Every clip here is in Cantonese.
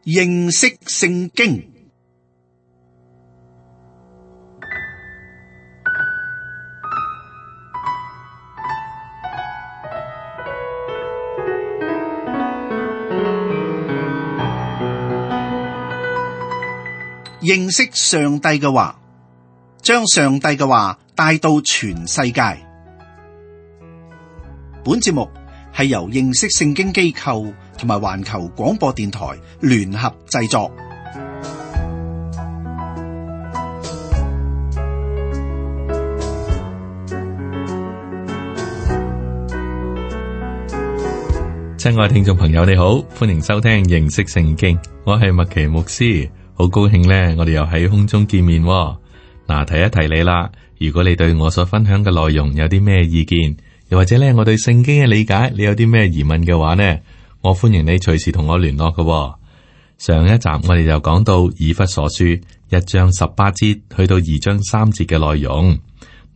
認識聖經。認識上帝嘅話，將上帝嘅話帶到全世界。本節目係由認識聖經機構同埋環球廣播電台聯合製作。親愛聽眾朋友，你好，歡迎收聽認識聖經，我係麥奇牧師。好高興咧，我哋又喺空中見面。嗱，提一提你啦，如果你對我所分享嘅內容有啲咩意見，又或者咧我對聖經嘅理解，你有啲咩疑問嘅話呢，我歡迎你隨時同我聯絡嘅。上一集我哋就講到以弗所書1章18節去到2章3節嘅內容。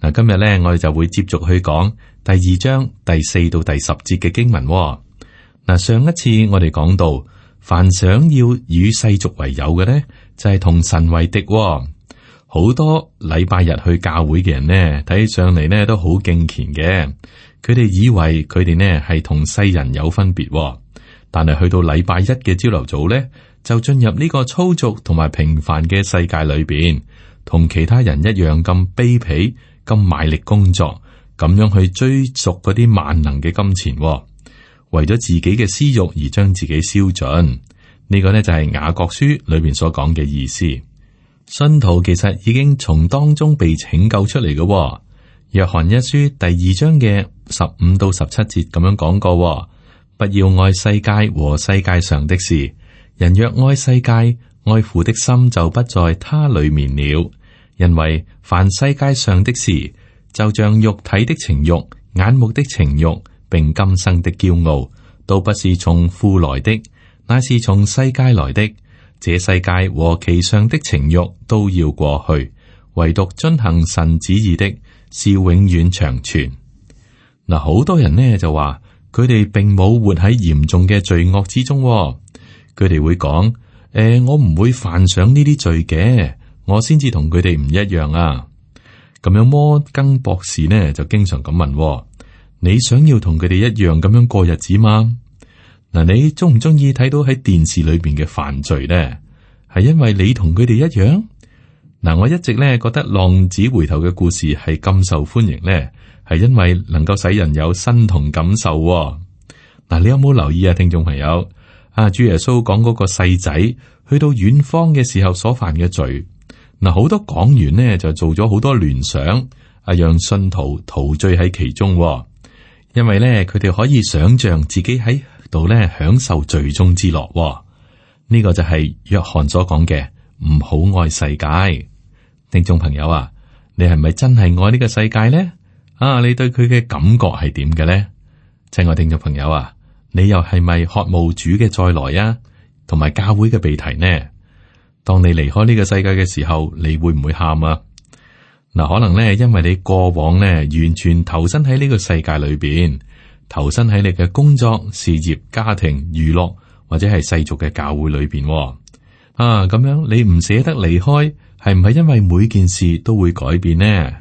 嗱，今日咧我哋就會接續去講第2章第4到第10節嘅經文。嗱，上一次我哋講到，凡想要與世俗為友嘅呢，就係同神為敵。好多禮拜日去教會嘅人呢，睇起上嚟呢都好敬虔嘅。佢哋以為佢哋呢係同世人有分別，但係去到禮拜一嘅朝頭早呢，就進入呢個粗俗同埋平凡嘅世界裏邊，同其他人一樣咁卑鄙、咁賣力工作，咁樣去追逐嗰啲萬能嘅金錢，為咗自己嘅私欲而將自己燒盡。呢個呢就係雅各書裏邊所講嘅意思。信徒其實已經從當中被拯救出嚟嘅。約翰一書第2章嘅15到17節咁樣講過：不要愛世界和世界上的事。人若愛世界，愛父的心就不在他裏面了。因為凡世界上的事，就像肉體的情欲、眼目的情欲，並今生的驕傲，都不是從父來的，乃是從世界來的。這世界和其上的情欲都要過去，唯獨遵行神旨意的，是永遠長存。嗱，好多人呢就話佢哋並冇活喺嚴重嘅罪惡之中。佢哋會講：我唔會犯上呢啲罪嘅，我先至同佢哋唔一樣啊。咁樣摩根博士呢就經常咁問：你想要同佢哋一樣咁樣過日子嗎？嗱，你中唔中意睇到喺電視裏邊嘅犯罪呢？係因為你同佢哋一樣？嗱，我一直咧覺得浪子回頭嘅故事係咁受歡迎呢，係因為能夠使人有身同感受。嗱，你有冇留意啊，聽眾朋友？主耶穌講嗰個細仔去到遠方嘅時候所犯嘅罪，嗱，好多講員呢就做咗好多聯想，讓信徒陶醉喺其中。因為咧，佢哋可以想象自己喺度咧享受罪中之樂。呢個就係約翰所講嘅，唔好愛世界。聽眾朋友啊，你係咪真係愛呢個世界呢？你對佢嘅感覺係點嘅呢？親愛聽眾朋友啊，你又係咪渴慕主嘅再來啊？同埋教會嘅被提呢？當你離開呢個世界嘅時候，你會唔會喊啊？嗱，可能咧，因為你過往咧完全投身喺呢個世界裏邊，投身喺你嘅工作、事業、家庭、娛樂或者係世俗嘅教會裏邊。咁樣你唔捨得離開，係唔係因為每件事都會改變呢？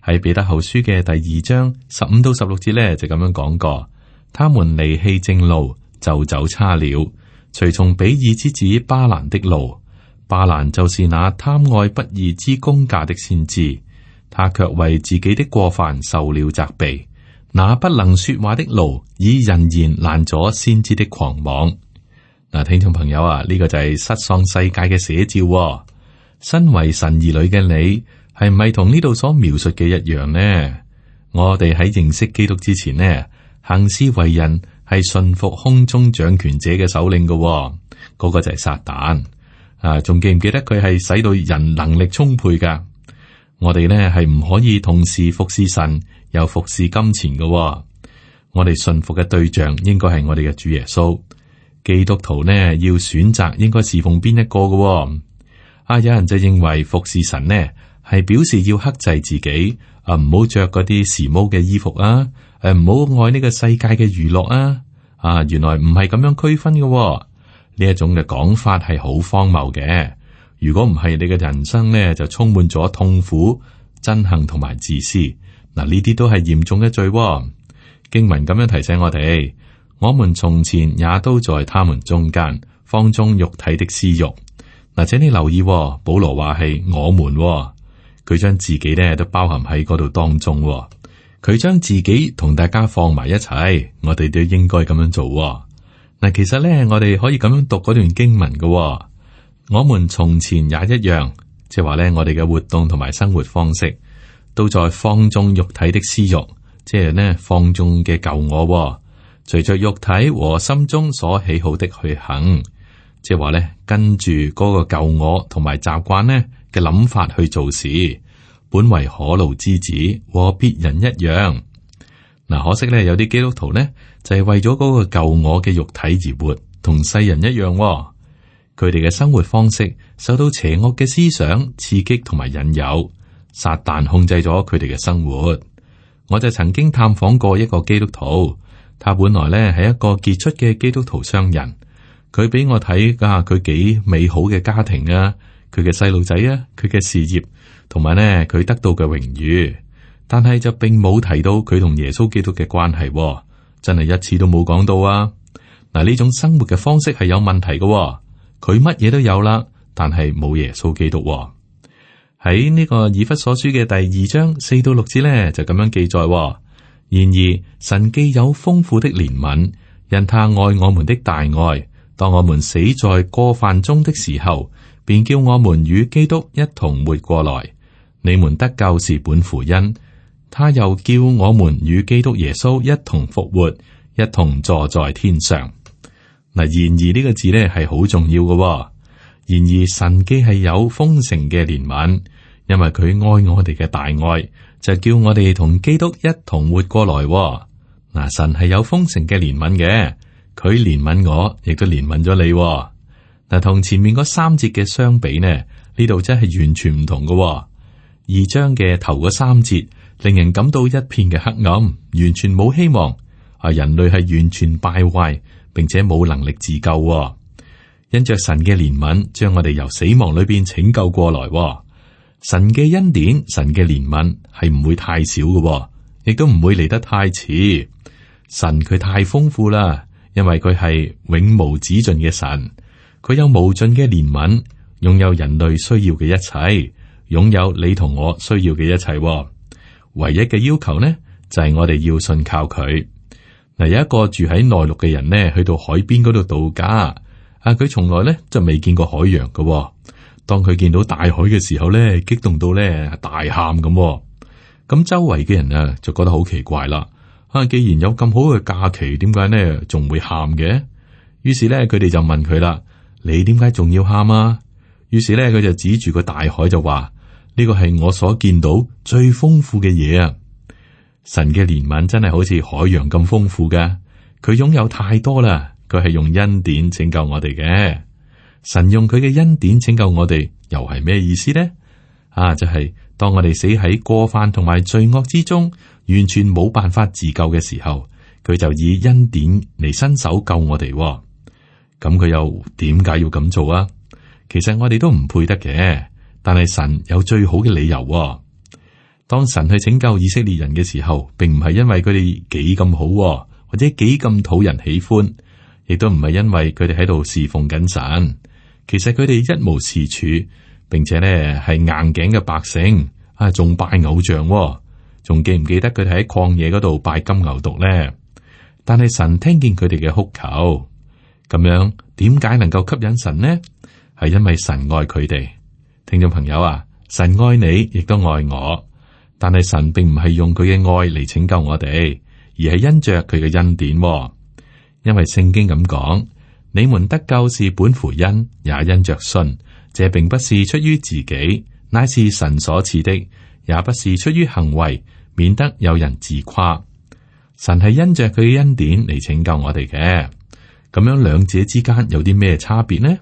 喺彼得後書嘅第2章15到16節咧就咁樣講過：他們離棄正路，就走差了，隨從比珥之子巴蘭的路。巴蘭就是那貪愛不義之工價的先知，他卻為自己的過犯受了責備。那不能說話的驢，以人言攔阻先知的狂妄。嗱，聽眾朋友啊，呢個就係失喪世界嘅寫照。身為神兒女嘅你，係唔係同呢度所描述嘅一樣呢？我哋喺認識基督之前呢，行事為人係順服空中掌權者嘅首領嘅，嗰個就係撒旦。仲記唔記得佢係使到人能力充沛噶？我哋呢係唔可以同時服侍神又服侍金錢嘅。我哋順服嘅對象應該係我哋嘅主耶穌。基督徒呢要選擇應該侍奉邊一個嘅。有人就認為服侍神呢係表示要克制自己，唔好着嗰啲時髦嘅衣服啊，唔好愛呢個世界嘅娛樂啊。原來唔係咁樣區分嘅。呢一種嘅講法係好荒謬嘅。如果唔係，你嘅人生呢就充滿咗痛苦、憎恨同埋自私。嗱，呢啲都係嚴重嘅罪。經文咁樣提醒我哋，我們從前也都在他們中間，放縱肉體的私欲。嗱，請你留意，保羅話係我們，佢將自己咧都包含喺嗰度當中。佢將自己同大家放埋一齊，我哋都應該咁樣做。嗱，其實咧，我哋可以咁樣讀嗰段經文嘅。我們從前也一樣，即係話咧，我哋嘅活動同埋生活方式都在放縱肉體的私欲，即係呢放縱嘅舊我，隨着肉體和心中所喜好的去行，即係話咧跟住嗰個舊我同埋習慣呢嘅諗法去做事，本為可怒之子，和別人一樣。嗱，可惜咧有啲基督徒呢就係為咗嗰個舊我嘅肉體而活，同世人一樣。佢哋嘅生活方式受到邪惡嘅思想刺激同埋引誘，撒旦控制咗佢哋嘅生活。我就曾經探訪過一個基督徒，他本來咧係一個傑出嘅基督徒商人，佢俾我睇佢幾美好嘅家庭啊，佢嘅細路仔啊，佢嘅事業，同埋呢佢得到嘅榮譽，但係就並冇提到佢同耶穌基督嘅關係，真係一次都冇講到啊！嗱，呢種生活嘅方式係有問題嘅。佢乜嘢都有啦，但係冇耶穌基督。喺呢個以弗所書嘅第2章4到6節呢，就咁樣記載。然而神既有豐富的憐憫，因他愛我們的大愛，當我們死在過犯中的時候，便叫我們與基督一同活過來。你們得救是本乎恩，他又叫我們與基督耶穌一同復活，一同坐在天上。嗱，然而呢個字咧係好重要嘅。然而神既係有豐盛嘅憐憫，因為佢愛我哋嘅大愛，就叫我哋同基督一同活過來。嗱，神係有豐盛嘅憐憫嘅，佢憐憫我，亦都憐憫咗你。嗱，同前面嗰3節嘅相比呢，呢度真係完全唔同嘅。2章嘅頭嗰3節令人感到一片嘅黑暗，完全冇希望。人類係完全敗壞，並且冇能力自救。因着神嘅憐憫，將我哋由死亡裏邊拯救過來。神嘅恩典、神嘅憐憫係唔會太少嘅，亦都唔會嚟得太遲。神佢太豐富啦，因為佢係永無止盡嘅神，佢有無盡嘅憐憫，擁有人類需要嘅一切，擁有你同我需要嘅一切。唯一嘅要求呢，就係我哋要信靠佢。嗱，有一個住喺內陸嘅人呢，去到海邊嗰度度假，佢從來呢就未見過海洋嘅。當佢見到大海嘅時候呢，激動到呢大喊咁。咁周圍嘅人啊就覺得好奇怪啦。既然有咁好嘅假期，點解呢仲會喊嘅？於是呢，佢哋就問佢啦：你點解仲要喊啊？於是呢，佢就指住個大海就話：呢個係我所見到最豐富嘅嘢啊！神嘅憐憫真係好似海洋咁豐富嘅，佢擁有太多啦。佢係用恩典拯救我哋嘅。神用佢嘅恩典拯救我哋，又係咩意思呢？就係當我哋死喺過犯同埋罪惡之中，完全冇辦法自救嘅時候，佢就以恩典嚟伸手救我哋。咁佢又點解要咁做啊？其實我哋都唔配得嘅，但係神有最好嘅理由。當神去拯救以色列人嘅時候，並唔係因為佢哋幾咁好，或者幾咁討人喜歡，亦都唔係因為佢哋喺度侍奉緊神。其實佢哋一無是處，並且呢係硬頸嘅百姓，仲拜偶像，仲記唔記得佢哋喺曠野嗰度拜金牛犢呢？但係神聽見佢哋嘅哭求，咁樣點解能夠吸引神呢？係因為神愛佢哋。聽眾朋友啊，神愛你，亦都愛我。但係神並唔係用佢嘅愛嚟拯救我哋，而係因着佢嘅恩典。因為聖經咁講，你們得救是本乎恩，也因着信。這並不是出於自己，乃是神所賜的，也不是出於行為，免得有人自誇。神係因着佢嘅恩典嚟拯救我哋嘅。咁樣兩者之間有啲咩差別呢？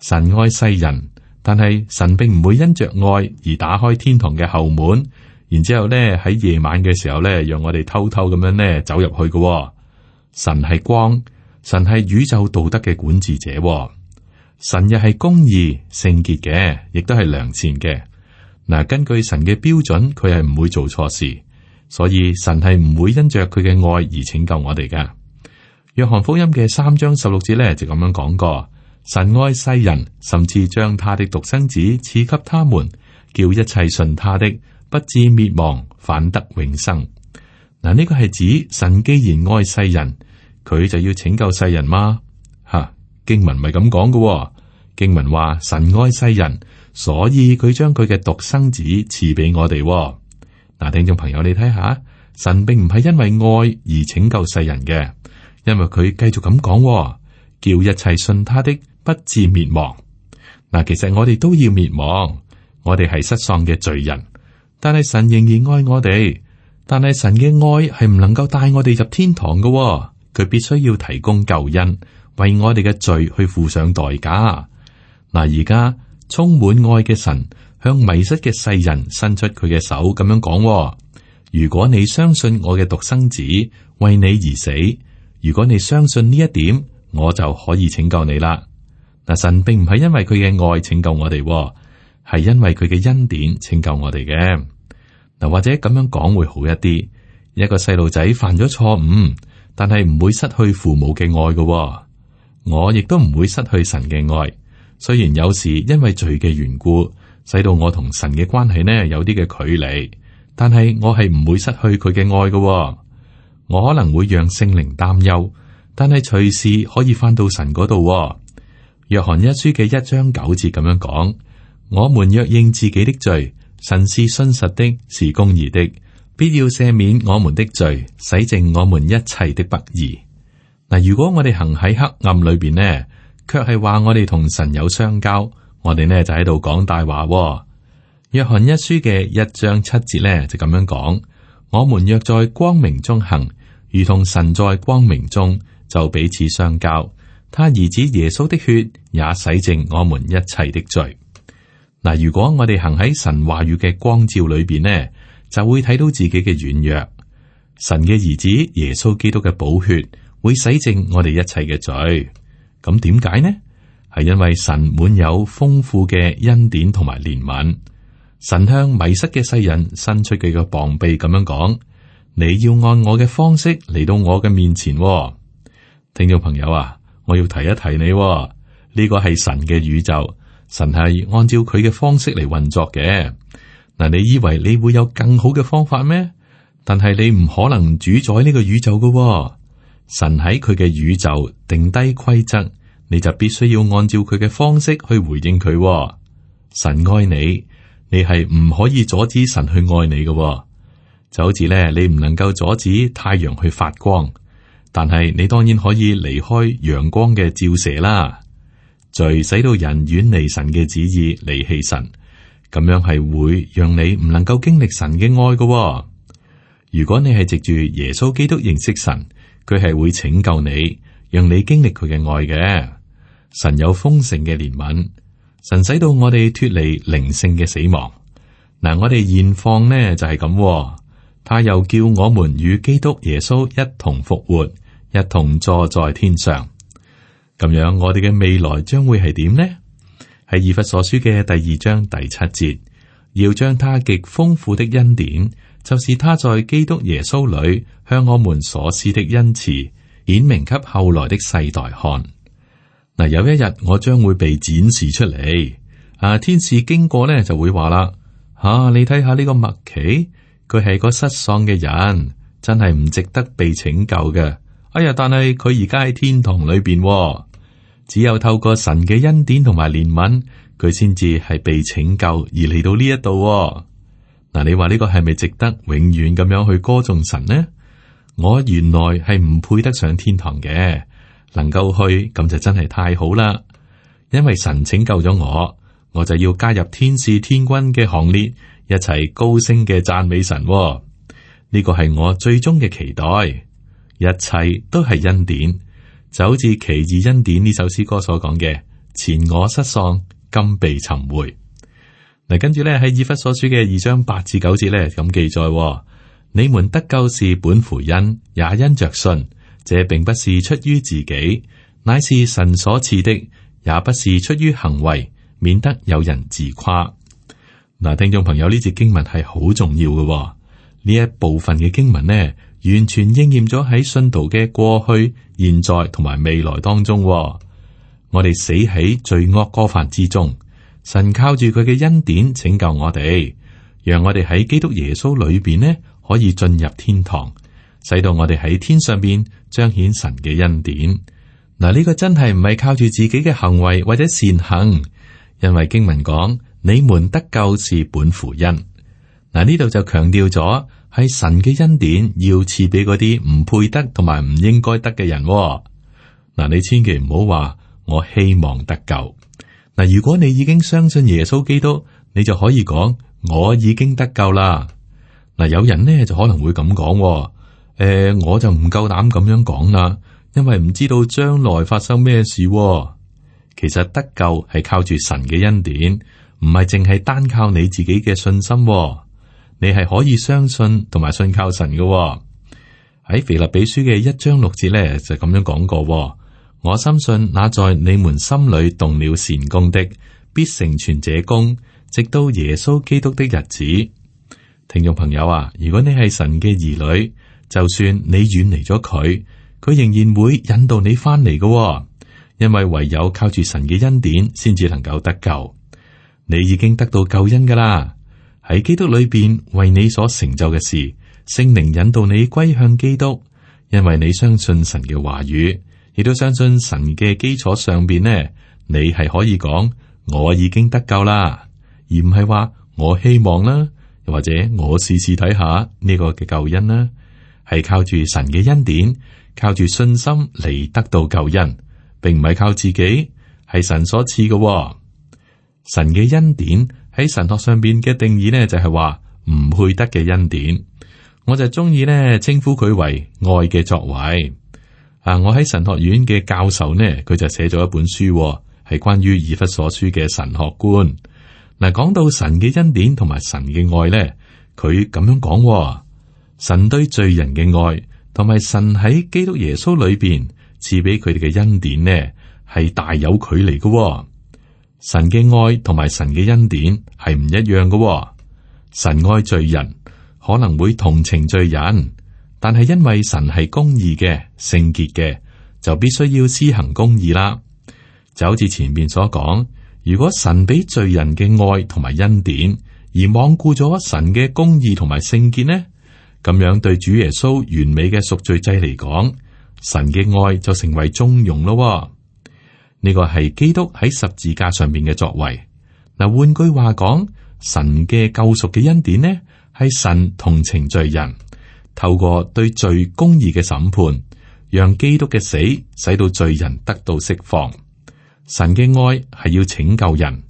神愛世人，但係神並唔會因着愛而打開天堂嘅後門。然之後咧，喺夜晚嘅時候咧，讓我哋偷偷咁樣咧走入去嘅。神係光，神係宇宙道德嘅管治者，神又係公義、聖潔嘅，亦都係良善嘅。嗱，根據神嘅標準，佢係唔會做錯事，所以神係唔會因着佢嘅愛而拯救我哋噶。約翰福音嘅3章16節咧就咁樣講過：神愛世人，甚至將他的獨生子賜給他們，叫一切信他的不至滅亡，反得永生。嗱，呢個係指神既然愛世人，佢就要拯救世人嗎？經文咪咁講嘅。經文話神愛世人，所以佢將佢嘅獨生子賜俾我哋。嗱，聽眾朋友，你睇下，神並唔係因為愛而拯救世人嘅，因為佢繼續咁講，叫一切信他的不至滅亡。嗱，其實我哋都要滅亡，我哋係失喪嘅罪人，但係神仍然愛我哋。但係神嘅愛係唔能夠帶我哋入天堂嘅，佢必須要提供救恩，為我哋嘅罪去付上代價。嗱，而家充滿愛嘅神向迷失嘅世人伸出佢嘅手，咁樣講：如果你相信我嘅獨生子為你而死，如果你相信呢一點，我就可以拯救你啦。嗱，神並唔係因為佢嘅愛拯救我哋，係因為佢嘅恩典拯救我哋嘅。嗱，或者咁樣講會好一啲。一個細路仔犯咗錯誤，但係唔會失去父母嘅愛嘅。我亦都唔會失去神嘅愛。雖然有時因為罪嘅緣故，使到我同神嘅關係呢有啲嘅距離，但係我係唔會失去佢嘅愛嘅。我可能會讓聖靈擔憂，但係隨時可以翻到神嗰度。約翰一書嘅1章9節咁樣講：我們若認自己的罪，神是信實的，是公義的，必要赦免我們的罪，洗淨我們一切的不義。嗱，如果我哋行喺黑暗裏邊呢，卻係話我哋同神有相交，我哋呢就喺度講大話。約翰一書嘅1章7節呢就咁樣講：我們若在光明中行，如同神在光明中，就彼此相交。他兒子耶穌的血也洗淨我們一切的罪。嗱，如果我哋行喺神話語嘅光照裏邊呢，就會睇到自己嘅軟弱。神嘅兒子耶穌基督嘅寶血會洗淨我哋一切嘅罪。咁點解呢？係因為神滿有豐富嘅恩典同埋憐憫。神向迷失嘅世人伸出佢嘅膀臂，咁樣講：你要按我嘅方式嚟到我嘅面前。聽眾朋友啊，我要提一提你，呢個係神嘅宇宙。神係按照佢嘅方式嚟運作嘅。嗱，你以為你會有更好嘅方法咩？但係你唔可能主宰呢個宇宙㗎。神喺佢嘅宇宙定低規則，你就必須要按照佢嘅方式去回應佢。神愛你，你係唔可以阻止神去愛你嘅。就好似咧，你唔能夠阻止太陽去發光，但係你當然可以離開陽光嘅照射啦。罪使到人遠離神嘅旨意，離棄神，咁樣係會讓你唔能夠經歷神嘅愛嘅。如果你係藉住耶穌基督認識神，佢係會拯救你，讓你經歷佢嘅愛嘅。神有豐盛嘅憐憫，神使到我哋脫離靈性嘅死亡。嗱，我哋現況呢就係咁，他又叫我們與基督耶穌一同復活，一同坐在天上。咁樣，我哋嘅未來將會係點呢？係以弗所書嘅第2章第7節，要將他極豐富的恩典，就是他在基督耶穌裏向我們所施的恩慈，顯明給後來的世代看。嗱，有一日我將會被展示出嚟。天使經過呢就會話啦：你睇下呢個麥奇，佢係個失喪嘅人，真係唔值得被拯救嘅。哎呀，但係佢而家喺天堂裏邊。只有透過神嘅恩典同埋憐憫，佢先至係被拯救而嚟到呢一度。嗱，你話呢個係咪值得永遠咁樣去歌頌神呢？我原來係唔配得上天堂嘅，能夠去咁就真係太好啦。因為神拯救咗我，我就要加入天使天軍嘅行列，一齊高聲嘅讚美神。呢個係我最終嘅期待，一切都係恩典。就好似奇異恩典呢首詩歌所講嘅，前我失喪，今被尋回。嗱，跟住咧喺以弗所書嘅2章8至9節咧咁記載：你們得救是本乎恩，也因着信，這並不是出於自己，乃是神所賜的，也不是出於行為，免得有人自誇。嗱，聽眾朋友，呢節經文係好重要嘅。呢一部分嘅經文呢，完全應驗咗喺信徒嘅過去、現在同埋未來當中。我哋死喺罪惡過犯之中，神靠住佢嘅恩典拯救我哋，讓我哋喺基督耶穌裏邊呢可以進入天堂，使到我哋喺天上邊彰顯神嘅恩典。嗱，呢個真係唔係靠住自己嘅行為或者善行，因為經文講你們得救是本乎恩。嗱，呢度就強調咗係神嘅恩典要賜俾嗰啲唔配得同埋唔應該得嘅人。嗱，你千祈唔好話我希望得救。嗱，如果你已經相信耶穌基督，你就可以講我已經得救啦。嗱，有人呢就可能會咁講，我就唔夠膽咁樣講啦，因為唔知道將來發生咩事。其實得救係靠住神嘅恩典，唔係淨係單靠你自己嘅信心。你係可以相信同埋信靠神嘅。喺腓立比書嘅1章6節咧就咁樣講過。我深信那在你們心裏動了善工的，必成全這工，直到耶穌基督的日子。聽眾朋友啊，如果你係神嘅兒女，就算你遠離咗佢，佢仍然會引導你翻嚟嘅。因為唯有靠住神嘅恩典，先至能夠得救。你已經得到救恩噶啦，喺基督裏邊為你所成就嘅事，聖靈引導你歸向基督，因為你相信神嘅話語，亦都相信神嘅基礎上邊呢，你係可以講我已經得救啦，而唔係話我希望啦，又或者我試試睇下呢個嘅救恩啦，係靠住神嘅恩典，靠住信心嚟得到救恩，並唔係靠自己，係神所賜嘅。神嘅恩典喺神學上邊嘅定義呢，就係話唔配得嘅恩典。我就中意呢稱呼佢為愛嘅作為。我喺神學院嘅教授呢，佢就寫咗一本書，係關於以弗所書嘅神學觀。嗱，講到神嘅恩典同埋神嘅愛呢，佢咁樣講：神對罪人嘅愛，同埋神喺基督耶穌裏邊賜俾佢哋嘅恩典呢，係大有距離嘅。神嘅愛同埋神嘅恩典係唔一樣嘅。神愛罪人，可能會同情罪人。但係因為神係公義嘅、聖潔嘅，就必須要施行公義啦。就好似前面所講，如果神俾罪人嘅愛同埋恩典，而罔顧咗神嘅公義同埋聖潔呢，咁樣對主耶穌完美嘅贖罪祭嚟講，神嘅愛就成為縱容咯。呢個係基督喺十字架上面嘅作為。嗱，換句話講，神嘅救贖嘅恩典呢，係神同情罪人。透過對罪公義嘅審判，讓基督嘅死使到罪人得到釋放。神嘅愛係要拯救人，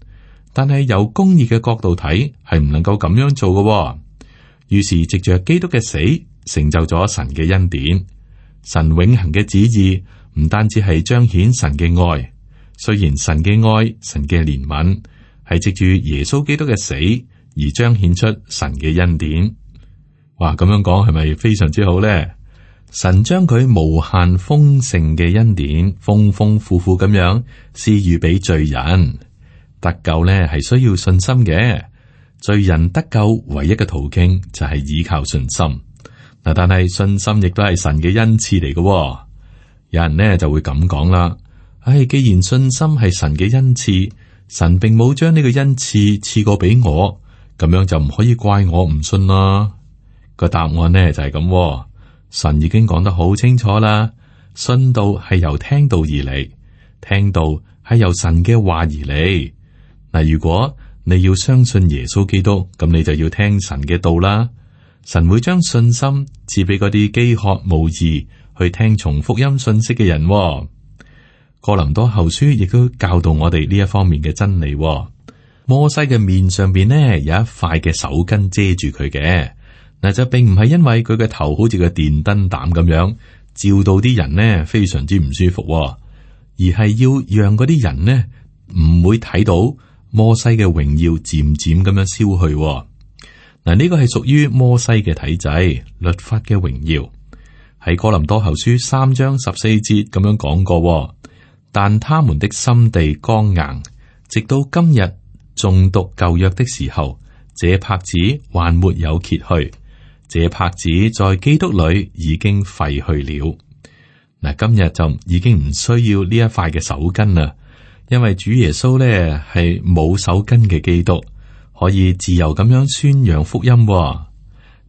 但係由公義嘅角度睇，係唔能夠咁樣做嘅。於是藉着基督嘅死，成就咗神嘅恩典。神永恆嘅旨意唔單止係彰顯神嘅愛，雖然神嘅愛、神嘅憐憫係藉住耶穌基督嘅死而彰顯出神嘅恩典。哇，咁樣講係咪非常之好咧？神將佢無限豐盛嘅恩典，豐豐富富咁樣施予俾罪人。得救咧係需要信心嘅，罪人得救唯一嘅途徑就係依靠信心。嗱，但係信心亦都係神嘅恩賜嚟嘅。有人呢就會咁講啦，既然信心係神嘅恩賜，神並冇將呢個恩賜賜過俾我，咁樣就唔可以怪我唔信啦。個答案呢就係咁，神已經講得好清楚啦。信道係由聽道而嚟，聽道係由神嘅話而嚟。嗱，如果你要相信耶穌基督，咁你就要聽神嘅道啦。神會將信心賜俾嗰啲飢渴慕義去聽從福音信息嘅人。哥林多後書亦都教導我哋呢一方面嘅真理。摩西嘅面上邊呢有一塊嘅手巾遮住佢嘅。嗱，就並唔係因為佢嘅頭好似個電燈膽咁樣照到啲人呢非常之唔舒服，而係要讓嗰啲人呢唔會睇到摩西嘅榮耀漸漸咁樣消去。嗱，呢個係屬於摩西嘅體制，律法嘅榮耀喺哥林多後書3章14節咁樣講過，但他們的心地剛硬，直到今日誦讀舊約的時候，這帕子還沒有揭去，這帕子在基督裏已經廢去了。嗱，今日就已經唔需要呢一塊嘅手巾啦，因為主耶穌咧係冇手巾嘅基督，可以自由咁樣宣揚福音。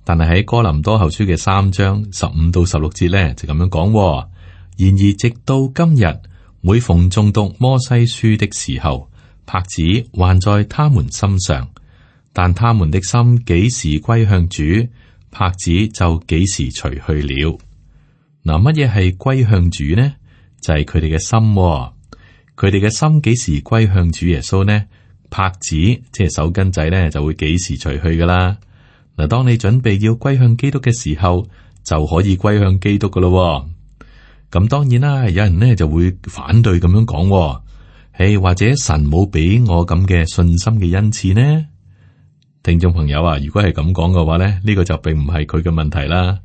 但係喺哥林多後書嘅3章15到16節咧就咁樣講。然而直到今日，每逢誦讀摩西書的時候，帕子還在他們心上，但他們的心幾時歸向主，帕子就幾時除去了。嗱，乜嘢係歸向主呢？就係佢哋嘅心。佢哋嘅心幾時歸向主耶穌呢？帕子即係手巾仔咧就會幾時除去噶啦。嗱，當你準備要歸向基督嘅時候，就可以歸向基督噶咯。咁當然啦，有人呢就會反對咁樣講，或者神冇俾我咁嘅信心嘅恩賜呢？聽眾朋友啊，如果係咁講嘅話咧，呢個就並唔係佢嘅問題啦。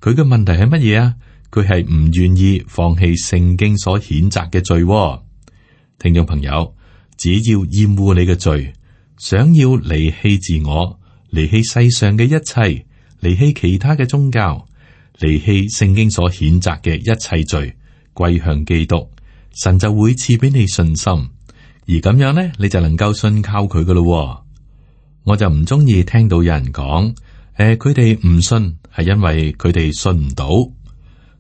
佢嘅問題係乜嘢啊？佢係唔願意放棄聖經所譴責嘅罪。聽眾朋友，只要厭惡你嘅罪，想要離棄自我，離棄世上嘅一切，離棄其他嘅宗教，離棄聖經所譴責嘅一切罪，歸向基督，神就會賜俾你信心，而咁樣呢，你就能夠信靠佢噶咯。我就唔中意聽到有人講，佢哋唔信係因為佢哋信唔到。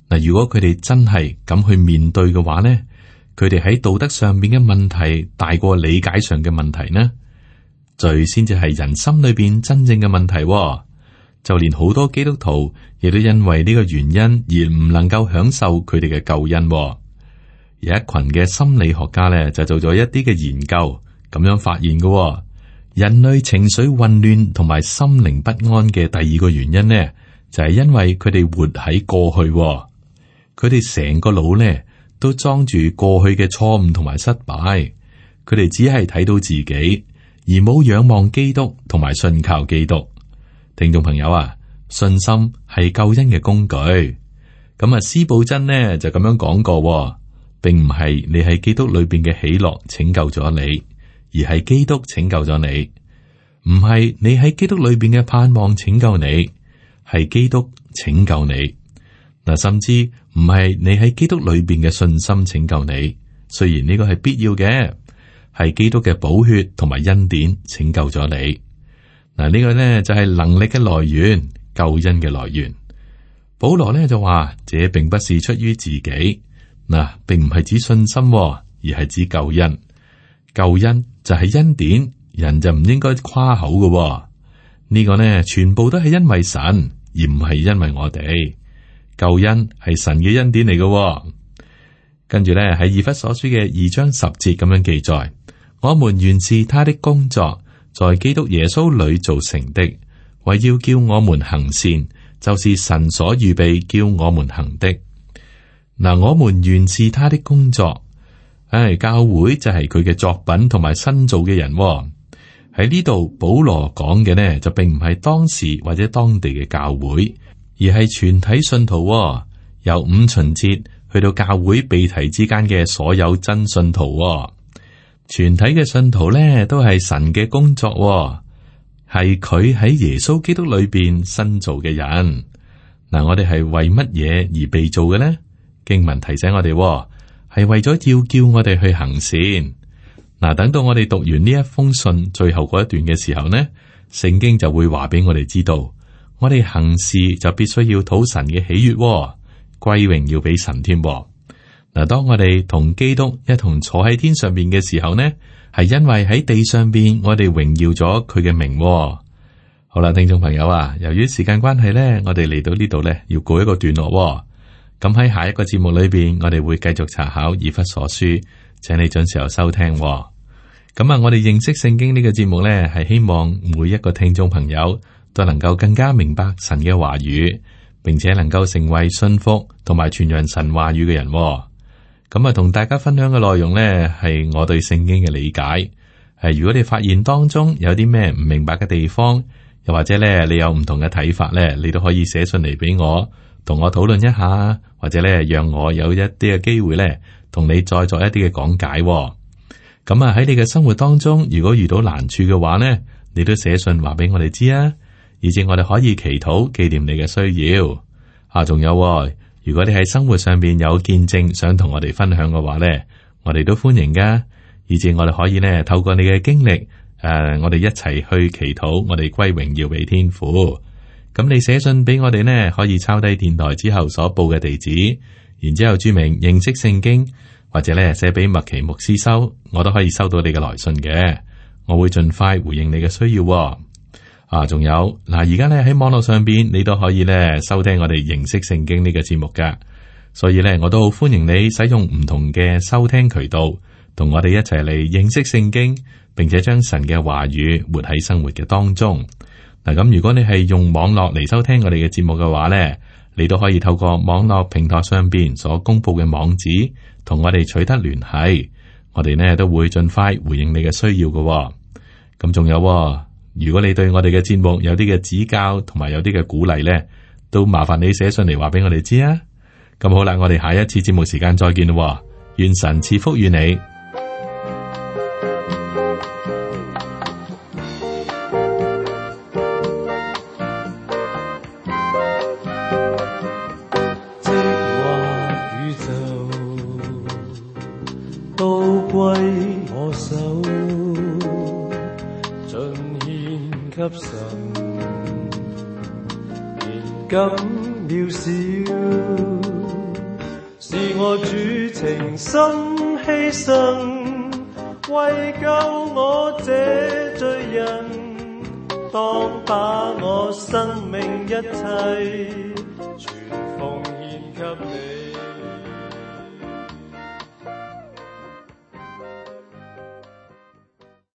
嗱，如果佢哋真係咁去面對嘅話呢，佢哋喺道德上面嘅問題大過理解上嘅問題呢？罪先至係人心裏邊真正嘅問題。就連好多基督徒亦都因為呢個原因而唔能夠享受佢哋嘅救恩。有一群嘅心理學家咧就做咗一啲嘅研究，咁樣發現嘅，人類情緒混亂同埋心靈不安嘅第二個原因呢，就係因為佢哋活喺過去，佢哋成個腦呢都裝住過去嘅錯誤同埋失敗，佢哋只係睇到自己，而冇仰望基督同埋信靠基督。聽眾朋友啊，信心係救恩嘅工具。咁啊，司布真呢就咁樣講過，並唔係你喺基督裏邊嘅喜樂拯救咗你，而係基督拯救咗你。唔係你喺基督裏邊嘅盼望拯救你，係基督拯救你。嗱，甚至唔係你喺基督裏邊嘅信心拯救你，雖然呢個係必要嘅，係基督嘅寶血同埋恩典拯救咗你。嗱，呢個呢就係能力嘅來源，救恩嘅來源。保羅呢就話，這並不是出於自己，嗱，並唔係指信心，而係指救恩。救恩就係恩典，人就唔應該誇口嘅。呢個呢全部都係因為神，而唔係因為我哋。救恩係神嘅恩典嚟嘅。跟住呢喺以弗所書嘅2章10節咁樣記載，我們原是他的工作，在基督耶穌裏造成的，為要叫我們行善，就是神所預備叫我們行的。嗱，我們原是他的工作，教會就係佢嘅作品同埋新造嘅人。喺呢度保羅講嘅呢，就並唔係當時或者當地嘅教會，而係全體信徒，由五旬節去到教會被提之間嘅所有真信徒。全體嘅信徒咧，都係神嘅工作，係佢喺耶穌基督裏邊新造嘅人。嗱，我哋係為乜嘢而被造嘅呢？經文提醒我哋，係為咗要叫我哋去行善。嗱，等到我哋讀完呢一封信最後嗰一段嘅時候呢，聖經就會話俾我哋知道，我哋行事就必須要討神嘅喜悅，歸榮要俾神添。嗱，當我哋同基督一同坐喺天上邊嘅時候呢，係因為喺地上邊我哋榮耀咗佢嘅名。好啦，聽眾朋友啊，由於時間關係呢，我哋嚟到呢度呢，要告一個段落。咁喺下一個節目裏邊，我哋會繼續查考以弗所書，請你準時候收聽。咁啊，我哋認識聖經呢個節目呢，係希望每一個聽眾朋友都能夠更加明白神嘅話語，並且能夠成為信服同埋傳揚神話語嘅人。咁啊，同大家分享嘅內容呢，係我對聖經嘅理解。如果你發現當中有啲咩唔明白嘅地方，又或者咧你有唔同嘅睇法咧，你都可以寫信嚟俾我，同我討論一下，或者咧讓我有一啲嘅機會咧，同你再作一啲嘅講解。咁啊喺你嘅生活當中，如果遇到難處嘅話呢，你都寫信話俾我哋知啊，以至我哋可以祈禱紀念你嘅需要。啊，仲有，如果你喺生活上邊有見證想同我哋分享嘅話呢，我哋都歡迎噶，以至我哋可以呢透過你嘅經歷，我哋一齊去祈禱，我哋歸榮耀俾天父。咁你寫信俾我哋呢，可以抄低電台之後所報嘅地址，然之後注明認識聖經，或者咧寫俾麥奇牧師收，我都可以收到你嘅來信嘅，我會盡快回應你嘅需要。啊，仲有嗱，而家咧喺網絡上邊，你都可以咧收聽我哋認識聖經呢個節目噶，所以咧我都好歡迎你使用唔同嘅收聽渠道，同我哋一齊嚟認識聖經，並且將神嘅話語活喺生活嘅當中。嗱，咁如果你係用網絡嚟收聽我哋嘅節目嘅話咧，你都可以透過網絡平台上邊所公布嘅網址，同我哋取得聯繫，我哋呢都會盡快回應你嘅需要嘅。咁仲有，如果你對我哋嘅節目有啲嘅指教，同埋有啲嘅鼓勵呢，都麻煩你寫信嚟話俾我哋知啊。咁好啦，我哋下一次節目時間再見咯。願神賜福於你。咁渺小，是我主情深犧牲，為救我這罪人，當把我生命一切